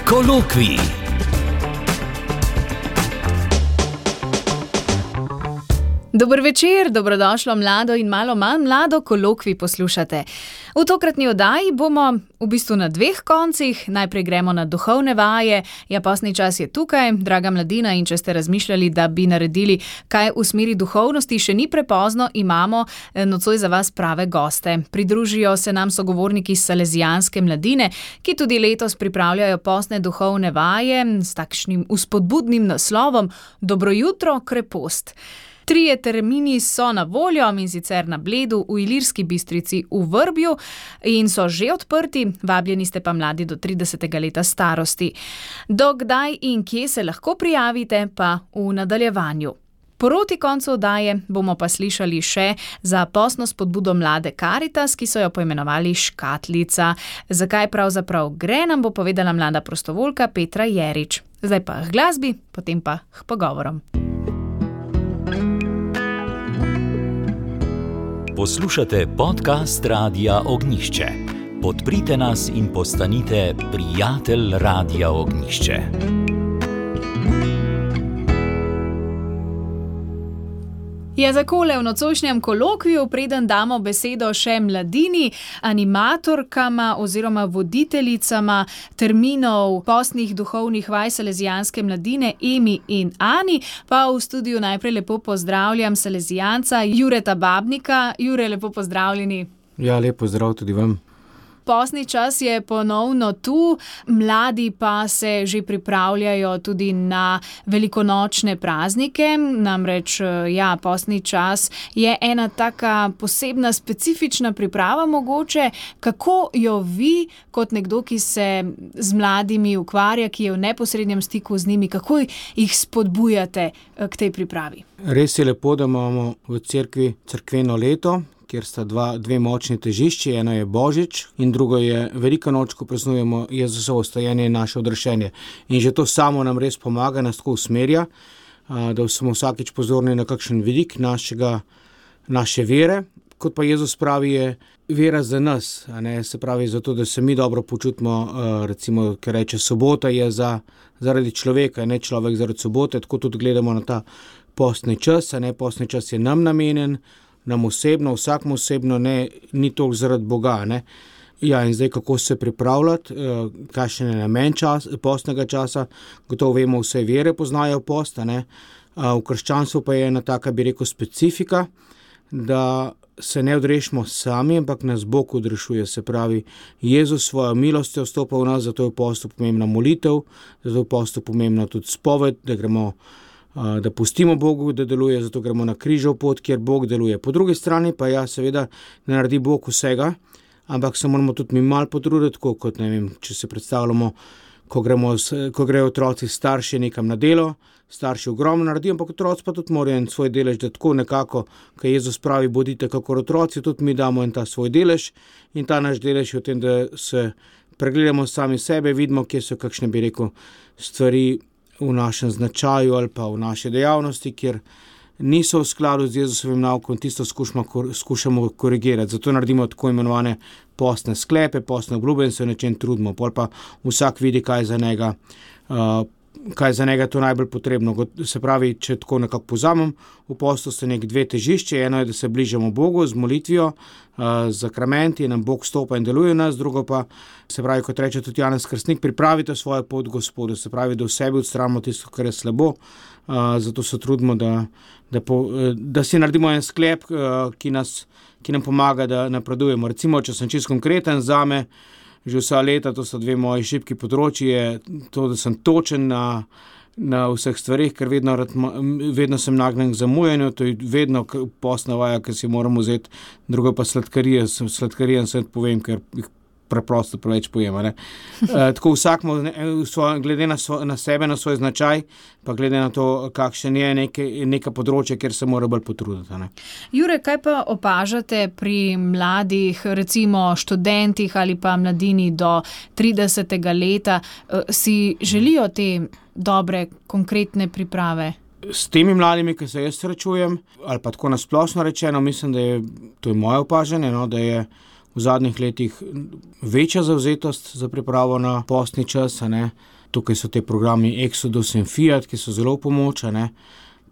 Kolokvij. Dober večer, dobrodošlo mlado in malo manj mlado kolokvij poslušate. V tokratni oddaji bomo v bistvu na dveh koncih. Najprej gremo na duhovne vaje. Ja, postni čas je tukaj, draga mladina, in če ste razmišljali, da bi naredili kaj v smeri duhovnosti, še ni prepozno, imamo nocoj za vas prave goste. Pridružijo se nam sogovorniki iz Salezijanske mladine, ki tudi letos pripravljajo postne duhovne vaje s takšnim vzpodbudnim naslovom Dobro jutro, krepost. 3 termini so na voljo, in sicer na Bledu, v Ilirski Bistrici, v Vrbju, in so že odprti, vabljeni ste pa mladi do 30. leta starosti. Do kdaj in kje se lahko prijavite, pa v nadaljevanju. Proti koncu oddaje bomo pa slišali še za postno spodbudo mlade Karitas, ki so jo poimenovali Škatlica. Zakaj pravzaprav gre, nam bo povedala mlada prostovoljka Petra Jerič. Zdaj pa k glasbi, potem pa k pogovorom. Poslušate podcast Radia Ognjišče. Podprite nas in postanite prijatelj Radia Ognjišče. Ja, zakole v nocojšnjem kolokviju, preden damo besedo še mladini, animatorkama oziroma voditeljicama terminov postnih duhovnih vaj Salezijanske mladine Emi in Ani, pa v studiu najprej lepo pozdravljam Salezijanca Jureta Babnika. Jure, lepo pozdravljeni. Ja, lep pozdrav tudi vam. Postni čas je ponovno tu, mladi pa se že pripravljajo tudi na velikonočne praznike. Namreč, ja, postni čas je ena taka posebna, specifična priprava mogoče. Kako jo vi, kot nekdo, ki se z mladimi ukvarja, ki je v neposrednem stiku z njimi, kako jih spodbujate k tej pripravi? Res je lepo, da imamo v cerkvi cerkveno leto, kjer sta dve močni težišči, eno je Božič in drugo je velika noč, ko praznujemo Jezusovo vstajenje in naše odrešenje. In že to samo nam res pomaga, nas tako usmerja, da smo vsakič pozorni na kakšen vidik naše vere. Kot pa Jezus pravi, je vera za nas, se pravi zato, da se mi dobro počutimo, recimo, ker reče, sobota je zaradi človeka, ne človek zaradi sobote, tako tudi gledamo na ta postni čas, postni čas je nam namenjen, nam osebno, vsakmu osebno, ni toliko zaradi Boga. Ja, in zdaj kako se pripravljati, kakšen je namen postnega časa, gotovo vemo, vse vere poznajo post, v krščanstvu pa je ena taka, bi rekel, specifika, da se ne odrešimo sami, ampak nas Bog odrešuje, se pravi, Jezus svojo milostjo vstopa v nas, zato je v postu pomembna molitev, zato je v postu pomembna tudi spoved, da pustimo Bogu, da deluje, zato gremo na križev pot, kjer Bog deluje. Po drugi strani pa seveda ne naredi Bog vsega, ampak se moramo tudi mi malo potruditi, kot ne vem, če se predstavljamo, ko grejo otroci starši nekam na delo, starši ogromno naredijo, ampak otroci pa tudi morajo en svoj delež, da tako nekako, ko Jezus pravi, bodite kakor otroci, tudi mi damo en ta svoj delež, in ta naš delež je v tem, da se pregledamo sami sebe, vidimo, kje so kakšne, bi rekel, stvari v našem značaju ali pa v naši dejavnosti, kjer niso v skladu z Jezusovim naukom, tisto skušamo korigirati. Zato naredimo tako imenovane postne sklepe, postne obljube in se v nečem trudimo. Pol pa vsak vidi, kaj za njega to najbolj potrebno. Se pravi, če tako nekako povzamem, v postu so dve težišče. Eno je, da se bližamo Bogu z molitvijo, z zakramenti, nam Bog stopa in deluje v nas. Drugo pa, se pravi, kot reče tudi Janez Krstnik, pripravite svojo pot Gospodu. Se pravi, da v sebi odstranimo tisto, kar je slabo. Zato se trudimo, da si naredimo en sklep, ki nam pomaga, da napredujemo. Recimo, če sem čisto konkreten, zame že vsa leta, to so 2 moji šibki področji, je to, da sem točen na vseh stvarih, ker vedno sem nagnjen k zamujanju, to je vedno postna vaja, ker si moram vzeti, drugo pa sladkarije sem povem, ker jih preprosto preveč pojema. Tako vsakmo, glede na sebe, na svoj značaj, pa glede na to, kakšen je neka področje, kjer se mora bolj potruditi. Jure, kaj pa opažate pri mladih, recimo študentih ali pa mladini do 30. leta, si želijo te dobre, konkretne priprave? S temi mladimi, ki se jaz srečujem, ali pa tako nasplošno rečeno, mislim, da je, to je moje opažanje, da je v zadnjih letih večja zavzetost za pripravo na postni čas, Tukaj so te programi Exodus in Fiat, ki so zelo pomoč, ne.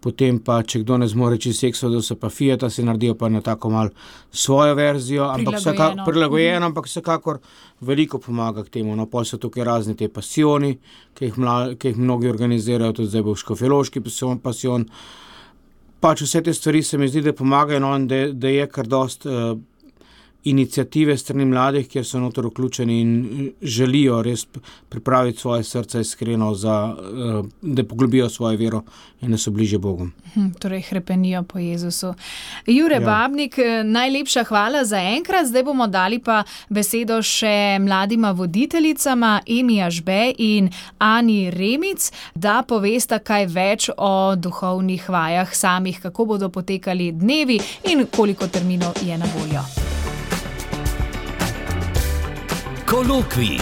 Potem pa, če kdo ne zmore čisto Exodusa pa Fiata, si naredijo pa na tako malo svojo verzijo, ampak prilagojeno, ampak vsekakor veliko pomaga k temu. No, pol so tukaj razni te pasioni, ki jih mnogi organizirajo, tudi zdaj bo škofjeloški pasion. Pač vse te stvari se mi zdi, da pomagajo, no, in da je kar dost iniciative strani mladih, kjer so noter vključeni in želijo res pripraviti svoje srce iskreno, da poglobijo svojo vero in da so bližje Bogu. Torej hrepenijo po Jezusu. Jure Babnik, najlepša hvala za enkrat. Zdaj bomo dali pa besedo še mladima voditeljicama Emi Ažbe in Ani Remic, da povesta kaj več o duhovnih vajah samih, kako bodo potekali dnevi in koliko terminov je na voljo. Kolokvij.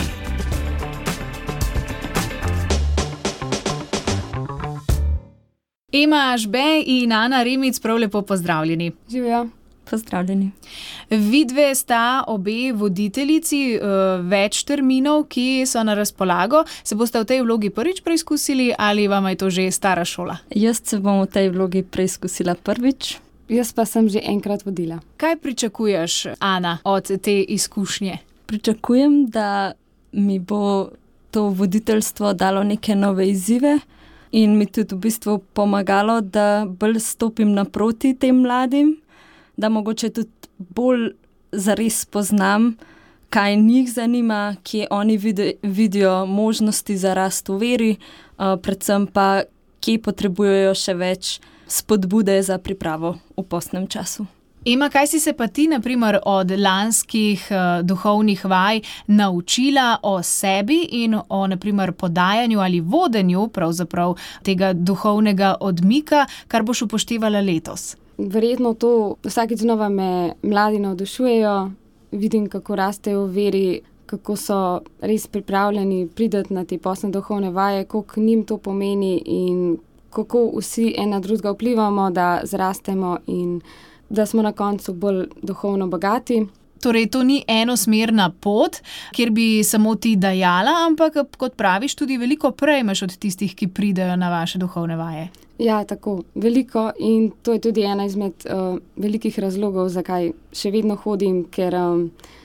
Ema Ažbe in Ana Remic, prav lepo pozdravljeni. Živijo. Pozdravljeni. Vidve sta obe voditeljici več terminov, ki so na razpolago. Se boste v tej vlogi prvič preizkusili ali vam je to že stara šola? Jaz se bom v tej vlogi preizkusila prvič. Jaz pa sem že enkrat vodila. Kaj pričakuješ, Ana, od te izkušnje? Pričakujem, da mi bo to voditeljstvo dalo neke nove izzive in mi tudi v bistvu pomagalo, da bolj stopim naproti tem mladim, da mogoče tudi bolj zares spoznam, kaj njih zanima, kje oni vidijo možnosti za rast v veri, predvsem pa, kje potrebujejo še več spodbude za pripravo v postnem času. Ema, kaj si se pa ti, na primer, od lanskih duhovnih vaj naučila o sebi in o, na primer, podajanju ali vodenju pravzaprav tega duhovnega odmika, kar boš upoštevala letos? Verjetno to vsakič znova me mladi navdušujejo, vidim, kako rastejo v veri, kako so res pripravljeni priti na te postne duhovne vaje, koliko njim to pomeni in kako vsi ena drugega vplivamo, da zrastemo in da smo na koncu bolj duhovno bogati. Torej, to ni enosmerna pot, kjer bi samo ti dajala, ampak, kot praviš, tudi veliko prejmeš od tistih, ki pridejo na vaše duhovne vaje. Ja, tako, veliko in to je tudi ena izmed velikih razlogov, zakaj še vedno hodim, ker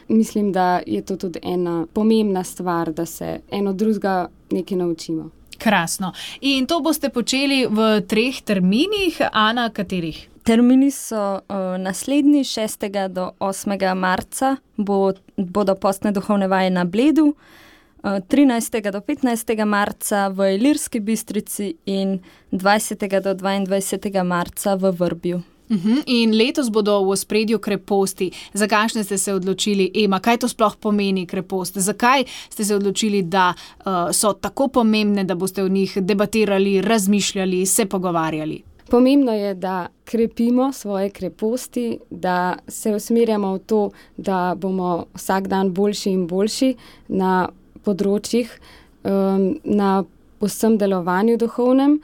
mislim, da je to tudi ena pomembna stvar, da se eno drugega nekaj naučimo. Krasno. In to boste počeli v 3 terminih. Ana, katerih? Termini so naslednji, 6. do 8. marca bodo postne duhovne vaje na Bledu, 13. do 15. marca v Ilirski Bistrici in 20. do 22. marca v Vrbju. In letos bodo v ospredju kreposti. Za kakšne ste se odločili, Ema? Kaj to sploh pomeni krepost? Zakaj ste se odločili, da so tako pomembne, da boste o njih debatirali, razmišljali, se pogovarjali? Pomembno je, da krepimo svoje kreposti, da se usmerjamo v to, da bomo vsak dan boljši in boljši na področjih, na vsem delovanju duhovnem.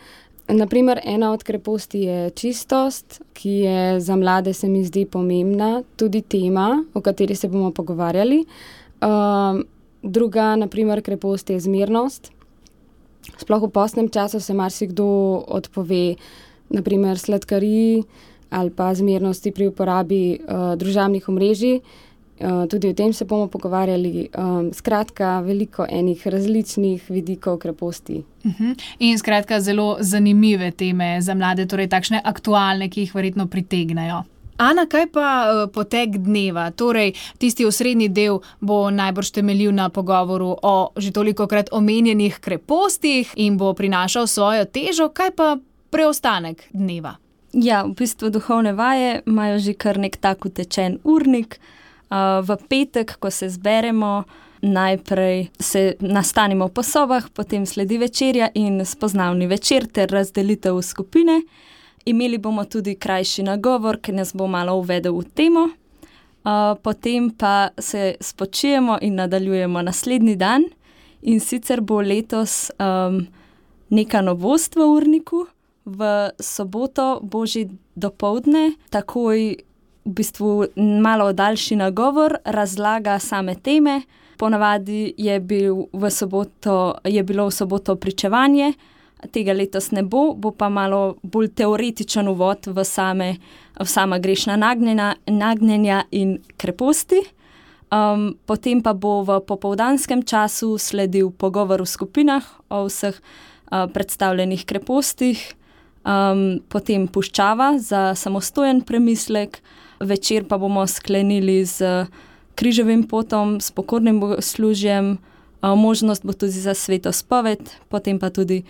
Naprimer, ena od kreposti je čistost, ki je za mlade, se mi zdi, pomembna, tudi tema, o kateri se bomo pogovarjali. Druga, naprimer, krepost je zmernost. Sploh v postnem času se marsikdo odpove, naprimer sladkariji ali pa zmernosti pri uporabi družabnih omrežij. Tudi o tem se bomo pogovarjali. Skratka, veliko enih različnih vidikov kreposti. In skratka, zelo zanimive teme za mlade, torej takšne aktualne, ki jih verjetno pritegnejo. Ana, kaj pa potek dneva? Torej, tisti osrednji del bo najbrž temeljil na pogovoru o že tolikokrat omenjenih krepostih in bo prinašal svojo težo. Kaj pa preostanek dneva? Ja, v bistvu duhovne vaje imajo že kar nek tak utečen urnik. V petek, ko se zberemo, najprej se nastanimo po sobah, potem sledi večerja in spoznavni večer ter razdelitev v skupine. Imeli bomo tudi krajši nagovor, ki nas bo malo uvedel v temo. Potem pa se spočijemo in nadaljujemo naslednji dan. In sicer bo letos neka novost v urniku. V soboto božji dopoldne takoj v bistvu malo daljši nagovor, razlaga same teme, Ponavadi je bilo v soboto pričevanje, tega letos ne bo pa malo bolj teoretičen uvod v sama grešna nagnjenja in kreposti. Potem pa bo v popoldanskem času sledil pogovor v skupinah o vseh predstavljenih krepostih, potem puščava za samostojen premislek, večer pa bomo sklenili z križevim potom, s pokornim bogoslužjem, možnost bo tudi za sveto spoved, potem pa tudi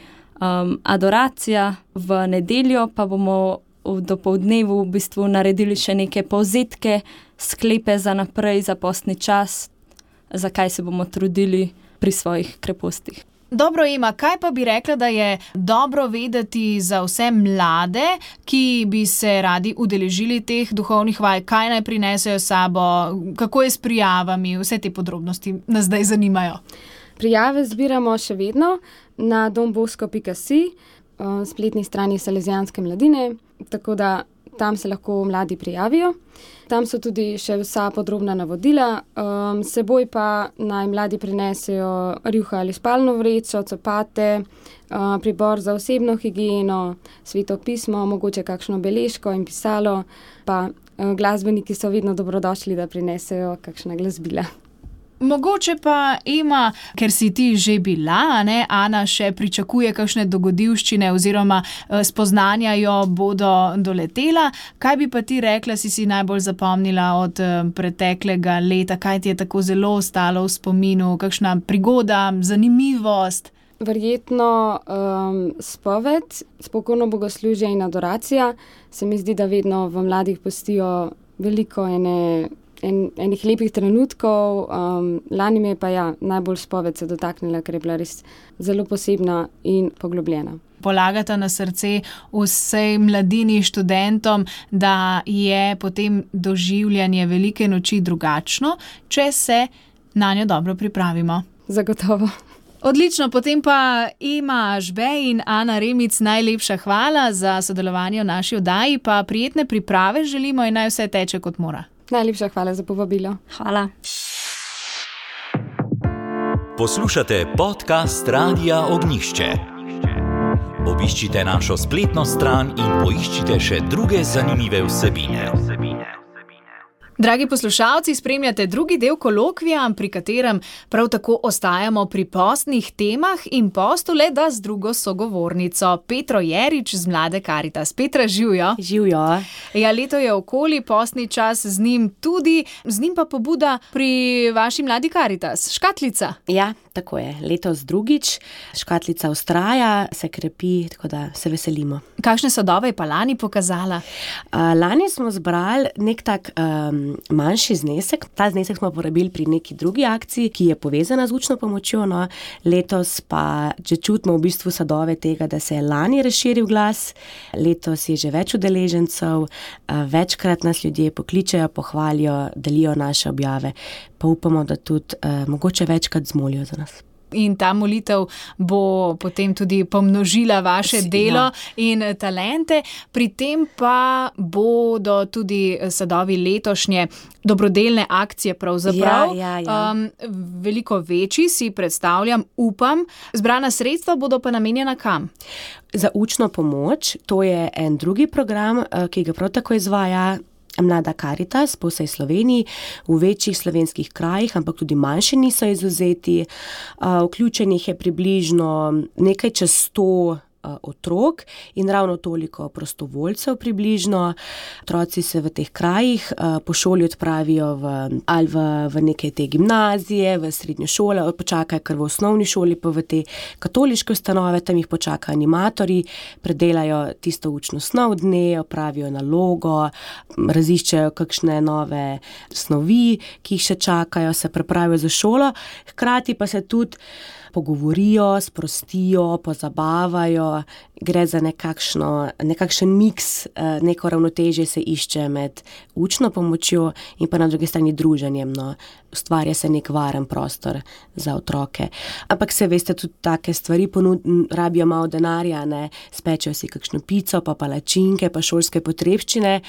adoracija. V nedeljo pa bomo v dopoldnevu v bistvu naredili še neke povzetke, sklepe za naprej, za postni čas, zakaj se bomo trudili pri svojih krepostih. Dobro, Ema, kaj pa bi rekla, da je dobro vedeti za vse mlade, ki bi se radi udeležili teh duhovnih vaj, kaj naj prinesejo sabo, kako je s prijavami, vse te podrobnosti nas zdaj zanimajo. Prijave zbiramo še vedno na dombosko.si, spletni strani Salezijanske mladine, tako da tam se lahko mladi prijavijo. Tam so tudi še vsa podrobna navodila, seboj pa naj mladi prinesejo rjuha ali spalno vrečo, copate, pribor za osebno higieno, sveto pismo, mogoče kakšno beležko in pisalo, pa glasbeniki so vedno dobrodošli, da prinesejo kakšna glasbila. Mogoče pa, Ema, ker si ti že bila, ne, Ana še pričakuje kakšne dogodivščine oziroma spoznanja jo bodo doletela. Kaj bi pa ti rekla, si najbolj zapomnila od preteklega leta? Kaj ti je tako zelo ostalo v spominu? Kakšna prigoda, zanimivost? Verjetno spoved, spokojno bogoslužje in adoracija. Se mi zdi, da vedno v mladih pustijo veliko enih lepih trenutkov. Lani mi je pa najbolj spoved se dotaknila, ker je bila res zelo posebna in poglobljena. Polagata na srce vsej mladini, študentom, da je potem doživljanje velike noči drugačno, če se na njo dobro pripravimo. Zagotovo. Odlično, potem pa Ema Žbej in Ana Remic, najlepša hvala za sodelovanje v naši oddaji, pa prijetne priprave želimo in naj vse teče kot mora. Najlepša hvala za povabilo. Hvala. Poslušate podcast Radia Ognjišče. Obiščite našo spletno stran in poiščite še druge zanimive vsebine. Dragi poslušalci, spremljate drugi del kolokvija, pri katerem prav tako ostajamo pri postnih temah in postu le da z drugo sogovornico, Petro Jerič z Mlade Karitas. Petra, živjo. Živjo. Ja, leto je okoli, postni čas z njim tudi, z njim pa pobuda pri vaši Mladi Karitas, škatlica. Ja, tako je. Letos drugič, škatlica vztraja, se krepi, tako da se veselimo. Kakšne sadove je pa lani pokazala? Lani smo zbrali nek tak manjši znesek. Ta znesek smo porabili pri neki drugi akciji, ki je povezana z učno pomočjo. No. Letos pa že čutimo v bistvu sadove tega, da se je lani razširil glas. Letos je že več udeležencev, večkrat nas ljudje pokličejo, pohvalijo, delijo naše objave. Pa upamo, da tudi mogoče večkrat zmolijo za nas. In ta molitev bo potem tudi pomnožila vaše delo in talente. Pri tem pa bodo tudi sadovi letošnje dobrodelne akcije pravzaprav. Veliko večji, si predstavljam, upam. Zbrana sredstva bodo pa namenjena kam? Za učno pomoč, to je en drugi program, ki ga prav tako izvaja Mlada Karitas po vsej Sloveniji, v večjih slovenskih krajih, ampak tudi manjši niso izvzeti. Vključenih je približno nekaj čez 100 otrok in ravno toliko prostovoljcev približno. Otroci se v teh krajih po šoli odpravijo v neke te gimnazije, v srednjo šolo, počakajo kar v osnovni šoli, pa v te katoliške ustanove, tam jih počakajo animatorji, predelajo tisto učno snov dne, opravijo nalogo, raziščejo kakšne nove snovi, ki jih še čakajo, se pripravijo za šolo, hkrati pa se tudi pogovorijo, sprostijo, pozabavajo gre za nekakšen miks, neko ravnotežje se išče med učno pomočjo in pa na drugi strani druženjem. No. Ustvarja se nek varen prostor za otroke. Ampak se veste, tudi take stvari rabijo malo denarja, ne, spečejo si kakšno pico, pa palačinke, pa šolske potrebščine,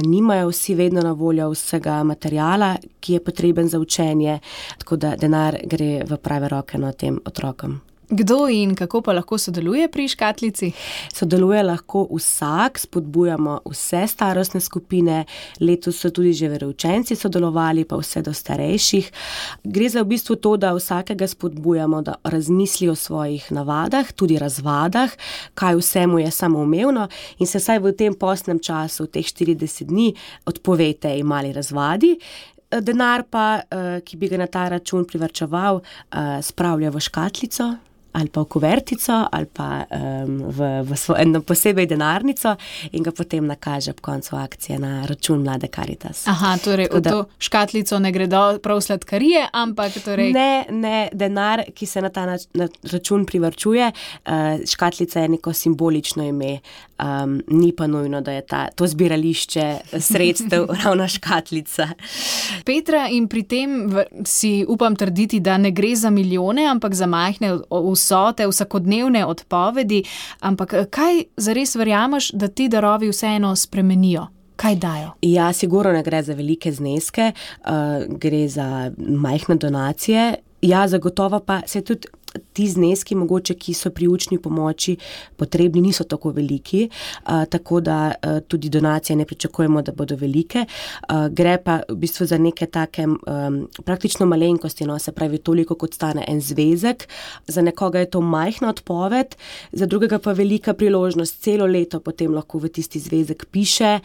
nimajo vsi vedno na voljo vsega materiala, ki je potreben za učenje, tako da denar gre v prave roke na tem otrokom. Kdo in kako pa lahko sodeluje pri škatlici? Sodeluje lahko vsak, spodbujamo vse starostne skupine, letos so tudi že veroučenci sodelovali, pa vse do starejših. Gre za v bistvu to, da vsakega spodbujamo, da razmisli o svojih navadah, tudi razvadah, kaj vse mu je samoumevno in se vsaj v tem postnem času, teh 40 dni, odpove tej mali razvadi. Denar pa, ki bi ga na ta račun privarčeval, spravlja v škatlico ali pa v kuvertico ali pa v eno posebej denarnico in ga potem nakaže ob koncu akcije na račun Mlade Karitas. Aha, torej v to škatlico ne gredo prav sladkarije, ampak torej... Ne, denar, ki se na ta račun privarčuje, škatlica je neko simbolično ime, ni pa nujno, da je to zbirališče sredstev ravno škatlica. Petra, in pri tem si upam trditi, da ne gre za milijone, ampak za majhne vsote, vsakodnevne odpovedi, ampak kaj zares verjameš, da ti darovi vseeno spremenijo? Kaj dajo? Ja, sigurno ne gre za velike zneske, gre za majhne donacije. Ja, zagotovo pa se tudi ti zneski, mogoče, ki so pri učni pomoči potrebni, niso tako veliki, tako da tudi donacije ne pričakujemo, da bodo velike. Gre pa v bistvu za neke take praktično malenkosti, no, se pravi toliko, kot stane en zvezek. Za nekoga je to majhna odpoved, za drugega pa velika priložnost. Celo leto potem lahko v tisti zvezek piše,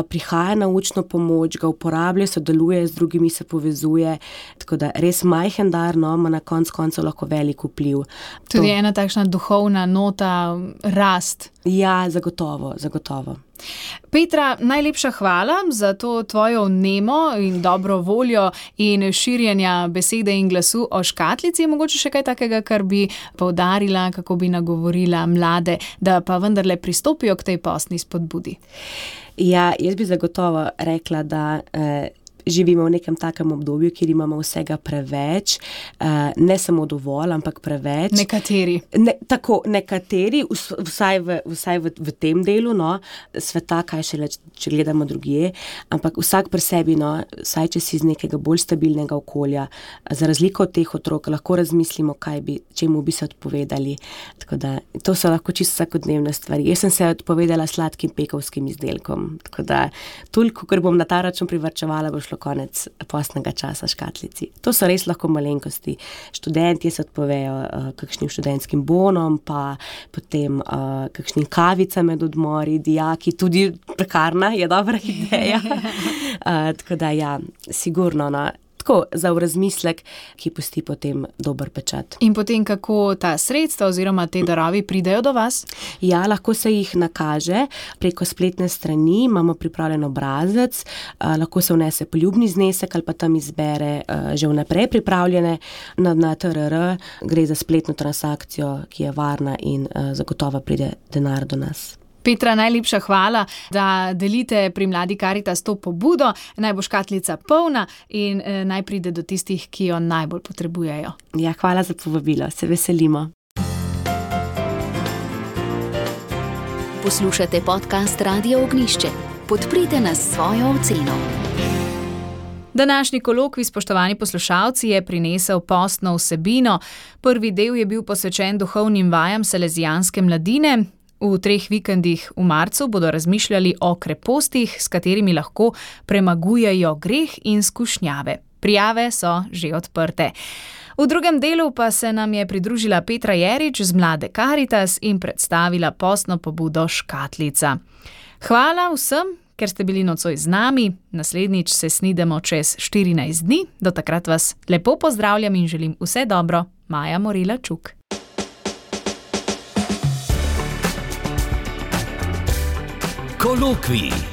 prihaja na učno pomoč, ga uporablja, sodeluje z drugimi, se povezuje. Tako da res majhen dar, no, ima na koncu lahko velik vpliv. Tudi ena takšna duhovna nota, rast. Ja, zagotovo. Petra, najlepša hvala za to tvojo vnemo in dobro voljo in širjenja besede in glasu o škatlici. Mogoče še kaj takega, kar bi poudarila, kako bi nagovorila mlade, da pa vendarle pristopijo k tej postni spodbudi. Ja, jaz bi zagotovo rekla, da živimo v nekem takem obdobju, kjer imamo vsega preveč, ne samo dovolj, ampak preveč. Nekateri. Nekateri, vsaj v tem delu, no, sveta, kaj šele, če gledamo drugje, ampak vsak pri sebi, no, vsaj če si iz nekega bolj stabilnega okolja, za razliko od teh otrok, lahko razmislimo, čemu bi se odpovedali. Tako da, to so lahko čisto vsakodnevne stvari. Jaz sem se odpovedala sladkim pekovskim izdelkom, tako da, toliko, ker bom na ta račun privarčevala, bo šlo konec postnega časa škatlici. To so res lahko malenkosti. Študenti se odpovejo kakšnim študentskim bonom, pa potem kakšnim kavicam med odmori, dijaki, tudi prekarna je dobra ideja. Tako da ja, sigurno, no. Tako, za v razmislek, ki pusti potem dober pečat. In potem, kako ta sredstva oziroma te darovi pridejo do vas? Ja, lahko se jih nakaže preko spletne strani, imamo pripravljen obrazec, lahko se vnese poljubni znesek ali pa tam izbere že vnaprej pripravljene na TRR, gre za spletno transakcijo, ki je varna in zagotovo pride denar do nas. Petra, najlepša hvala, da delite pri Mladi Karitas to pobudo. Naj bo škatlica polna in naj pride do tistih, ki jo najbolj potrebujejo. Ja, hvala za povabilo, se veselimo. Poslušate podcast Radia Ognjišče. Podprite nas s svojo oceno. Današnji kolokvij, spoštovani poslušalci, je prinesel postno vsebino. Prvi del je bil posvečen duhovnim vajam salezijanske mladine. V 3 vikendih v marcu bodo razmišljali o krepostih, s katerimi lahko premagujejo greh in skušnjave. Prijave so že odprte. V drugem delu pa se nam je pridružila Petra Jerič z Mlade Karitas in predstavila postno pobudo Škatlica. Hvala vsem, ker ste bili nocoj z nami. Naslednjič se snidemo čez 14 dni. Do takrat vas lepo pozdravljam in želim vse dobro. Maja Morila Čuk. Kolokvij.